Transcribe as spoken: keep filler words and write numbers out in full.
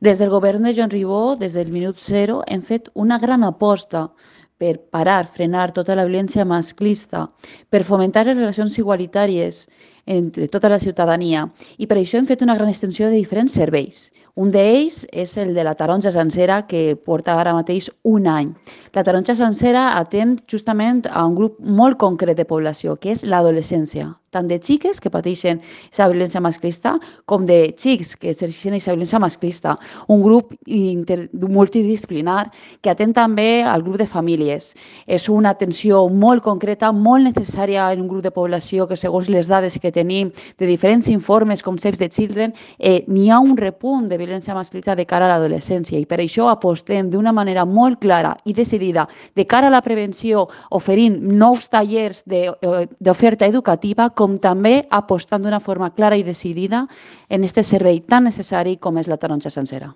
Des del govern de Joan Ribó, des del minut zero, hem fet una gran aposta per parar, frenar tota la violència masclista, per fomentar les relacions igualitàries entre tota la ciutadania i per això hem fet una gran extensió de diferents serveis. Un d'ells és el de la taronja sencera, que porta ara mateix un any. La taronja sencera atén justament a un grup molt concret de població, que és l'adolescència, tant de xiques que pateixen aquesta violència masclista com de xics que exerceixen aquesta violència masclista. Un grup inter multidisciplinar que atén també al grup de famílies. És una atenció molt concreta, molt necessària en un grup de població que, segons les dades que tenim de diferents informes com Save the Children, eh, n'hi ha un repunt de violència masclista de cara a l'adolescència i per això apostem d'una manera molt clara i decidida de cara a la prevenció, oferint nous tallers d'oferta educativa, com també apostant d'una forma clara i decidida en aquest servei tan necessari com és la taronja sencera.